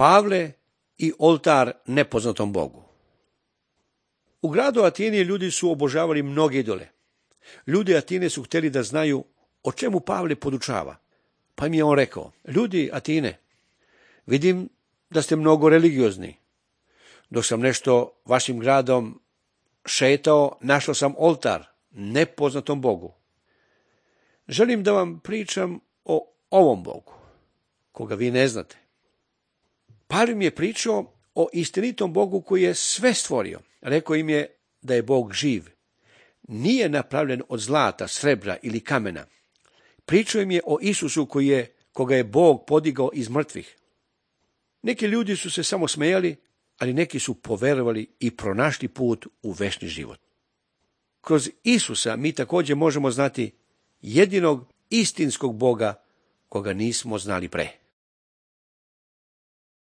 Pavle i oltar nepoznatom Bogu. U gradu Atini ljudi su obožavali mnoge idole. Ljudi Atine su htjeli da znaju o čemu Pavle podučava. Pa im je on rekao: ljudi Atine, vidim da ste mnogo religiozni. Dok sam nešto vašim gradom šetao, našao sam oltar nepoznatom Bogu. Želim da vam pričam o ovom Bogu, koga vi ne znate. Pavle im je pričao o istinitom Bogu koji je sve stvorio. Rekao im je da je Bog živ. Nije napravljen od zlata, srebra ili kamena. Pričao im je o Isusu koga je Bog podigao iz mrtvih. Neki ljudi su se samo smejali, ali neki su poverovali i pronašli put u večni život. Kroz Isusa mi također možemo znati jedinog istinskog Boga koga nismo znali pre.